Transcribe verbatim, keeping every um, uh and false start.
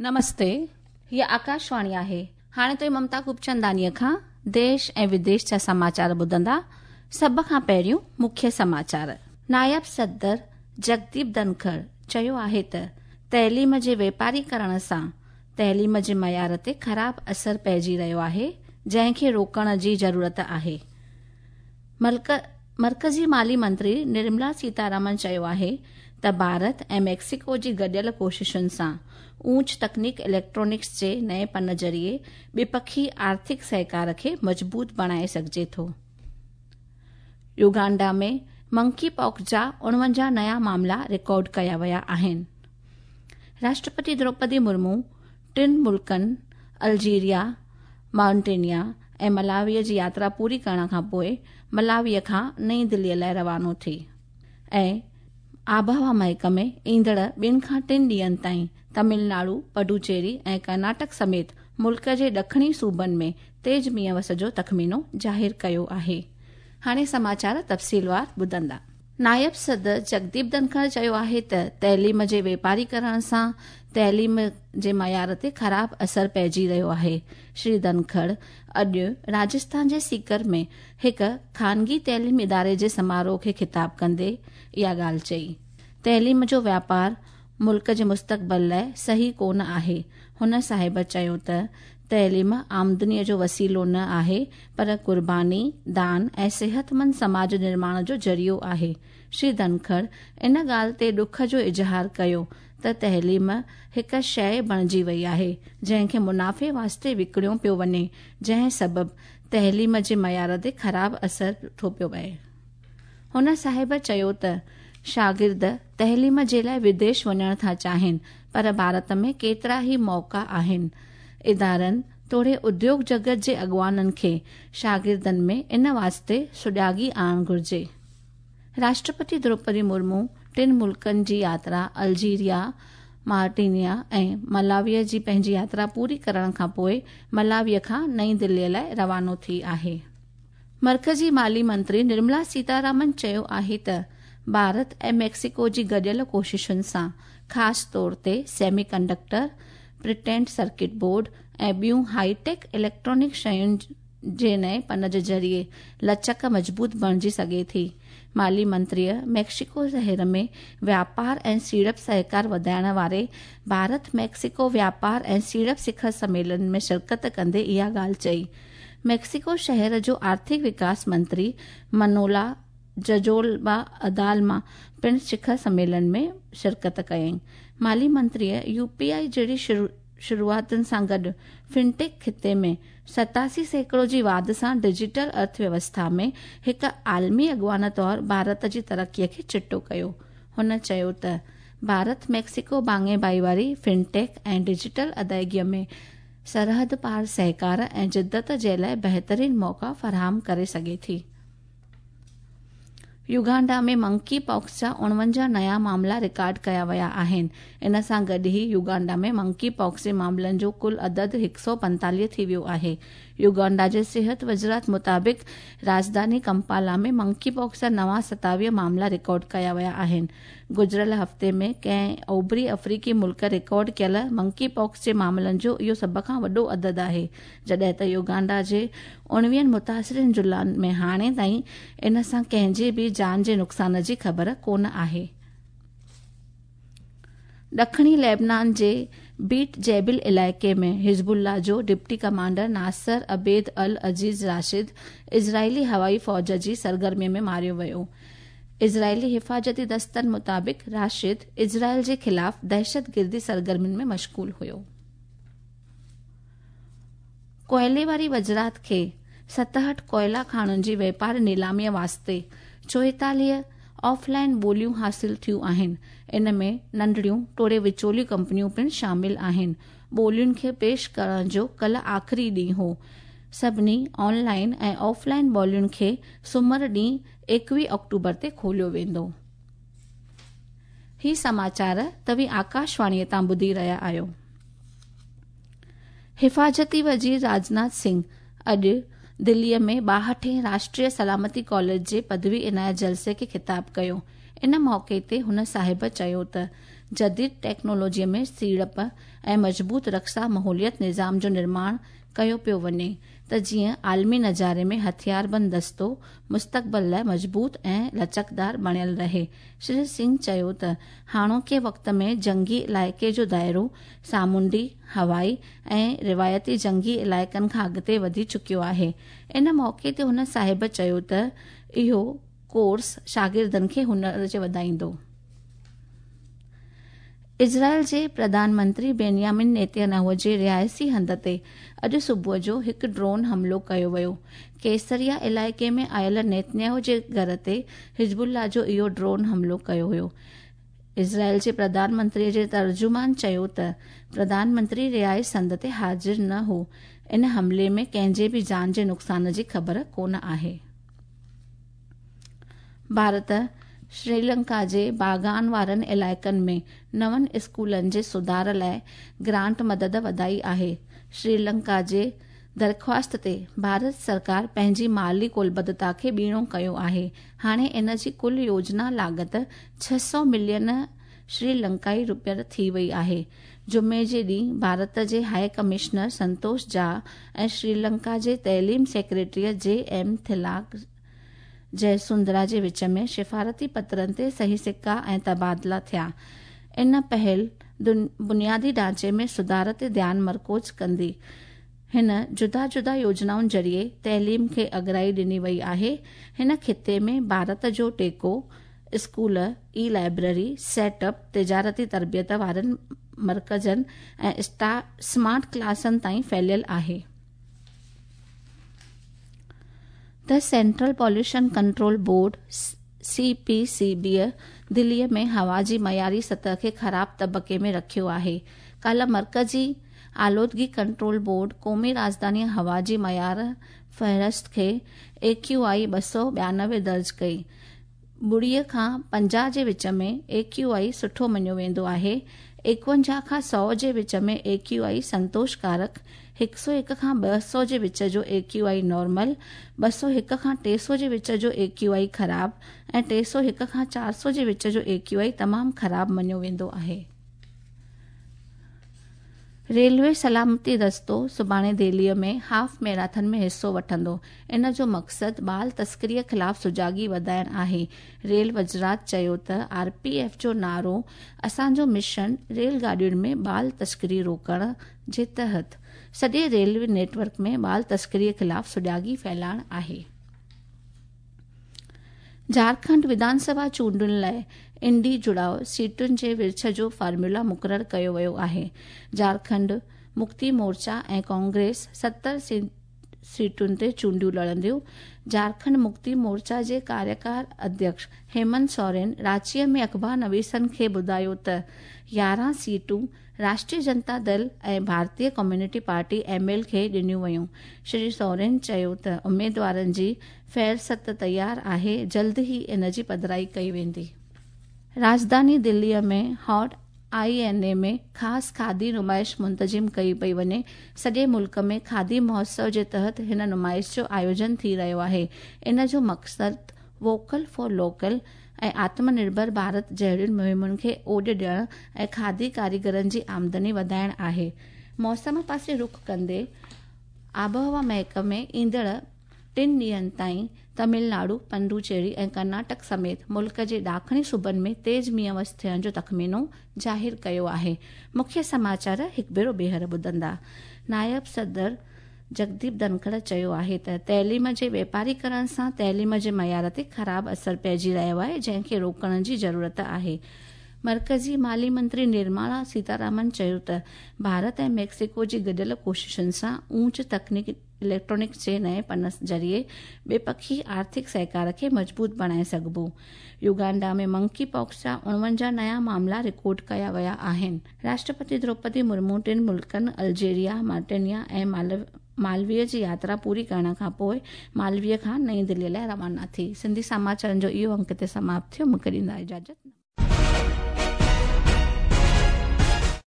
नमस्ते, हीअ आकाशवाणी आहे। हाणे तुव्हीं ममता खूबचंदानीअ खां देश ऐं विदेश जा समाचार ॿुधंदा। सभ खां पहिरियों मुख्य समाचार। नायब सदर जगदीप धनखड़ चयो आहे त तइलीम जे वेपारीकरण सां तइलीम जे मयार ते ख़राब असर पइजी रहियो आहे, जंहिंखे रोकण जी ज़रूरत आहे। मर्कज़ी माली मंत्री निर्मला सीतारमण चयो आहे त भारत ऐं मेक्सिको जी गॾियल कोशिशुनि सां ऊंच तकनीक इलेक्ट्रॉनिक्स जे नए पन ज़रिए ॿिपखी आर्थिक सहकार खे मज़बूत बणाए सघिजे थो। युगांडा में मंकी पॉक्स जा उणवंजाह नया मामला रिकॉर्ड कया विया आहिनि। राष्ट्रपति द्रौपदी मुर्मू टिनि मुल्कनि अल्जीरिया, मॉरिटानिया ऐं मलावीअ जी यात्रा पूरी करण खां पोइ मलावीअ खां नई दिल्लीअ लाइ रवानो थी। ऐं आबहवा महकमे ईंदड़ ॿिनि खां टिनि ॾींहंनि ताईं तमिलनाडु, पुडुचेरी ऐं कर्नाटक समेत मुल्क जे ॾखणी सूबनि में तेज़ मींहं वस जो तख़मीनो ज़ाहिर कयो आहे। हाणे समाचार तफ़सीलवार ॿुधंदा। नायब सदर जगदीप धनखड़ चयो आहे त तइलीम जे वेपारीकरण सां तइलीम जे मयार ते ख़राब असर पइजी रहियो आहे। श्री धनखड़ अॼु राजस्थान जे सीकर में हिकु ख़ानगी तइलीम इदारे जे समारोह खे ख़िताब कंदे इहा ॻाल्हि चई। तइलीम जो व्यापार मुल्क जे मुस्तक़बिल लाइ सही कोन आहे। हुन साहिब चयो त तइलीम आमदनीअ जो वसीलो न आहे, पर क़ुर्बानी, दान ऐं सिहतमंद समाज निर्माण जो ज़रियो आहे। श्री धनखड़ इन ॻाल्हि ते ॾुख जो इज़हार कयो त तइलीम हिकु शइ बणिजी वई आहे, जंहिंखे मुनाफ़े वास्ते विकिणियो पियो वञे, जंहिं सबबु तइलीम जे मयार ते ख़राब असर थो पियो पए। हुन साहिब चयो त शागिर्द तइलीम जे लाइ विदेश वञणु था चाहिनि, पर भारत में केतिरा ई मौक़ा आहिनि। इदारनि तोड़े उद्योग जगत जे अॻुवाननि खे शागिर्दनि में इन वास्ते सुॼागी आणणु घुरिजे। राष्ट्रपति द्रौपदी मुर्मू टिनि मुल्कनि जी यात्रा अल्जीरिया, मॉरिटानिया ऐं मलावीअ जी पंहिंजी यात्रा पूरी करण खां पोइ मलावीअ खां नई दिल्लीअ लाइ रवानो थी आहे। मर्कज़ी माली मंत्री निर्मला सीतारमण चयो आहे त भारत ऐं मेक्सिको जी गॾियल कोशिशुनि सां ख़ासि तौर ते semi conductor, printed circuit board ऐं ॿियूं हाईटेक इलेक्ट्रॉनिक शयुनि जे नए पन जे ज़रिए लचक मज़बूत बणिजी सघे थी। माली मंत्रीअ मेक्सिको शहर में व्यापार ऐं सीड़प सहकार वधाइण वारे भारत मेक्सिको व्यापार ऐं सीड़प शिखर सम्मेलन में शिरकत कंदे इहा ॻाल्हि चई। मेक्सिको शहर जो आर्थिक विकास मंत्री मनोला जजोलबा अदालमा पिणु शिखर सम्मेलन में शिरकत कयईं। माली मंत्रीअ यू पी I जहिड़ी शुरूआतुनि सां गॾु फिनटेक ख़िते में सतासी सैकड़ो जी वाध सां डिजिटल अर्थव्यवस्था में हिकु आलमी अॻुवान तौर भारत जी तरक़ीअ खे चिटो कयो। हुन चयो त भारत मेक्सिको भाङे भाईवारी फिनटेक ऐं डिजिटल अदायगीअ में सरहद पार सहकार ऐं जिदत जे लाइ बहितरीन मौक़ा फराहम करे सघे थी। युगांडा में मंकी पॉक्स जा उणवंजाह नया मामला रिकॉर्ड कया विया आहिनि। इन सां गॾु ई युगांडा में मंकी पॉक्स जे मामलनि जो कुल अदद हिकु सौ पंतालीह थी वियो आहे। युगांडा जे सिहत वज़ारत मुताबिक़ राजधानी कंपाला में मंकी पॉक्स जा नवां सतावीह मामला रिकॉर्ड कया विया आहिनि। गुज़िरियल हफ़्ते में कंहिं ओभरी अफ़्रीकी मुल्क रिकॉर्ड कयल मंकी पॉक्स जे मामलनि जो इहो सभ खां वॾो अदद आहे, जॾहिं त युगांडा जे उणिवीहनि मुतासिर ज़िलनि में हाणे ताईं इन सां कंहिंजे बि जान जे नुक़सान जी ख़बर कोन आहे। ॾखणी लेबनान जे बीट जैबिल इलाइक़े में हिज़बुल्लाह जो deputy commander Nasser Abed al Aziz Rashid Israeli हवाई फ़ौज जी सरगर्मी में मारियो वियो। इज़राइली हिफ़ाज़ती दस्तनि मुताबिक़ राशिद इज़राइल जे ख़िलाफ़ दहशतगिर्दी सरगर्मियुनि में मशगूल हुयो। कोयले वारी वज़ारत खे सतहठि कोयला खाणुनि जी वेपार नीलामीअ वास्ते चोएतालीह ऑफलाइन ॿोलियूं हासिल थियूं आहिनि। इन में नंढड़ियूं तोड़े विचोलियूं कंपनियूं पिणु शामिल आहिनि। ॿोलियुनि खे पेश करण जो कल्ह आख़िरी ॾींहुं हो। सभिनी ऑनलाइन ऐं ऑफलाइन ॿोलियुनि खे सुमर ॾींहुं एकवीह अक्टूबर ते खोलियो वेंदो। ही समाचार तव्हीं आकाशवाणीअ तां ॿुधी रहिया आहियो। हिफ़ाज़ती वज़ीर राजनाथ सिंह अॼु दिल्लीअ में ॿाहठें राष्ट्रीय सलामती कॉलेज जे पदवी इनायत जलसे खे ख़िताब कयो। इन मौक़े ते हुन साहिब चयो त جديد ٽيڪنالاجيءَ ۾ سيڙپ ۽ مضبوط رڪشا ماحوليات نظام جو نرماڻ ڪيو پيو وڃي ته جيئن عالمي نظاري ۾ هٿياربند دستو مستقبل لاءِ مضبوط ۽ لچڪدار بڻيل رهي. شري سنگهه چيو ته هاڻوڪي وقت ۾ جنگي علائقي جو دائرو سامونڊي، هوائي ۽ روايتي جنگي علائقن کان اڳتي وڌي چڪيو آهي. ان موقعي تي هن صاحب چيو ته اهو ڪورس شاگردن کي هنر جي وڌائيندو. اسرائيل جي پرڌان منتري بينيامن نيتنياهو جي رهائشي هنڌ تي اڄ صبح جو هڪ ڊرون حملو ڪيو ويو. ڪيسريا علائقي ۾ آيل نيتنياهو جي گهر تي حزب الله جو اهو ڊرون حملو ڪيو ويو. اسرائيل جي پرڌان منتري جي ترجمان چيو ته پرڌان منتري رهائش هنڌ تي حاضر نه هو. ان حملي ۾ ڪنهن جي به جان جي نقصان جي خبر ڪونه آهي. ڀارت شري لنڪا جي باغان وارن علائقن ۾ نون اسڪولن جي سڌار لاءِ گرانٽ مدد وڌائي آهي. شري لنڪا جي درخواست تي ڀارت سرڪار پنهنجي مالي ڪلبڌتا کي ٻيڻو ڪيو آهي. هاڻي ان جي ڪل يوجنا لاڳت ڇهه سؤ ملين شري لنڪائي روپيا ٿي وئي آهي. جمعي جي ڏينهن ڀارت جي هاءِ ڪمشنر سنتوش جها ۽ شري لنڪا جي تعليم سيڪريٽري جي ايم ٿلاڪ جئسندرا جي وچ ۾ سفارتي پترن تي صحيح سڪا ۽ تبادلا ٿيا. ان پهل بنيادي ڍانچي ۾ سڌار تي ڌيان مرڪوز ڪندي هن جدا جدا يوجنائن ذريعي تعليم کي اڳرائي ڏني وئي آهي. هن خطي ۾ ڀارت جو ٽيڪو اسڪول، اي لائبريري سيٽ اپ، تجارتي تربيت وارن مرڪزن ۽ اسمارٽ ڪلاسن تائين ڦهليل آهي. The Central Pollution Control Board C P C B دليءَ ۾ هوا جي معياري سطح کي خراب طبقي ۾ رکيو آهي. ڪالهه مرڪزي آلودگي ڪنٽرول بورڊ قومي راڄڌاني هوا جي معيار فهرست کي اي ڪيو آئي ٻه سؤ ٻيانوي درج ڪئي. ٻڙيءَ کان پنجاهه جي وچ ۾ اي ڪيو آئي سٺو مڃيو ويندو آهي. ايڪونجاهه کان سؤ جي وچ ۾ اي ڪيو آئي سنتوشڪارڪ، هڪ سؤ هڪ کان ٻه سؤ جي وچ جو اي ڪيو آئي نارمل، ٻه سؤ هڪ کان ٽي سؤ جي وچ جو اي ڪيو آئي خراب ۽ ٽي سؤ هڪ کان چار سؤ جي وچ جو اي ڪيو آئي تمام خراب مڃيو ويندو آهي. ريلوي سلامتي دستو سڀاڻي دهليءَ ۾ هاف ميراٿن ۾ حصو وٺندو. ان جو مقصد بال تسڪريءَ خلاف سجاڳي وڌائڻ آهي. ريل وزارت چيو ته آر پي ايف جو نعرو اسان جو مشن ريل گاڏين ۾ بال تسڪري روڪڻ جي تحت سڄي ريلوي نيٽ ورڪ ۾ بال تسڪريءَ خلاف سجاڳي ڦهلائڻ آهي. جهارکنڊ وڌان سڀا چونڊن لاءِ انڊي جڙاءُ سيٽن جي ورڇ جو فارمولا مقرر ڪيو ويو آهي. جهارکنڊ مڪتي مورچا ۽ ڪانگريس ستر سيٽن تي چونڊيون لڙنديون. جهارکنڊ مڪتي مورچا جي ڪاريڪار اڌيڪش هيمنت سورين رانچيءَ ۾ اخبار نويسن کي ٻڌايو ته يارهن سيٽون راشٽريه جنتا دل ۽ ڀارتيه ڪميونٽي پارٽي ايم ايل کي ڏنيون ويون. شري سورين چيو ته اميدوارن جي فهرست تيار آهي، جلد ئي ان جي پڌرائي ڪئي ويندي. راڄڌاني دليءَ ۾ هاٽ I N اي ۾ خاص کادي نمائش منتظم ڪئي پئي وڃي. سڄي ملڪ ۾ کادي مهوتسو جي تحت هن نمائش جو آيوجن ٿي رهيو آهي. ان جو مقصد ووڪل فار لوڪل ۽ آتم نرڀر ڀارت جهڙين مهمن کي اوڏ ڏيڻ ۽ کادي ڪاريگرن جي آمدني وڌائڻ آهي. موسم پاسي رخ ڪندي آبهوا محڪمي ايندڙ ٽن ڏينهن تائين تامل ناڊو، پڊوچيري ۽ ڪرناٽڪ سميت ملڪ جي ڏاکڻي صوبن ۾ تيز مينهن وس ٿيڻ جو تخمينو ظاهر ڪيو آهي. مکيه سماچار هڪ ڀيرو ٻيهر ٻڌندا. نائب صدر جگديپ ڌنکڙ چيو آهي ته تعليم جي واپاريڪرڻ سان تعليم جي معيار تي خراب اثر پئجي رهيو آهي، جنهن کي روڪڻ جي ضرورت آهي. مرڪزي مالي منتري نرملا سيتارامن چيو ته ڀارت ۽ ميڪسيڪو جي گڏيل ڪوششن سان اونچ تڪنيڪ اليڪٽرانڪس جي نئين پن ذريعي ٻپکي آرٿڪ سهڪار کي مضبوط بڻائي سگهبو. يوگانڊا ۾ منڪي پاڪس جا اڻونجاهه نيا معاملا رڪارڊ ڪيا ويا آهن. راشٽرپتي دروپدي مرمو ٽن ملڪن الجيريا، مارٽينيا ۽ مالويءَ جي ياترا پوري ڪرڻ کان پوءِ مالويءَ کان نئين دليءَ لاءِ روانا ٿي. سنڌي سماچارن جو اهو انڪ هتي سماپت ٿيو. مون کي ڏيندا اجازت.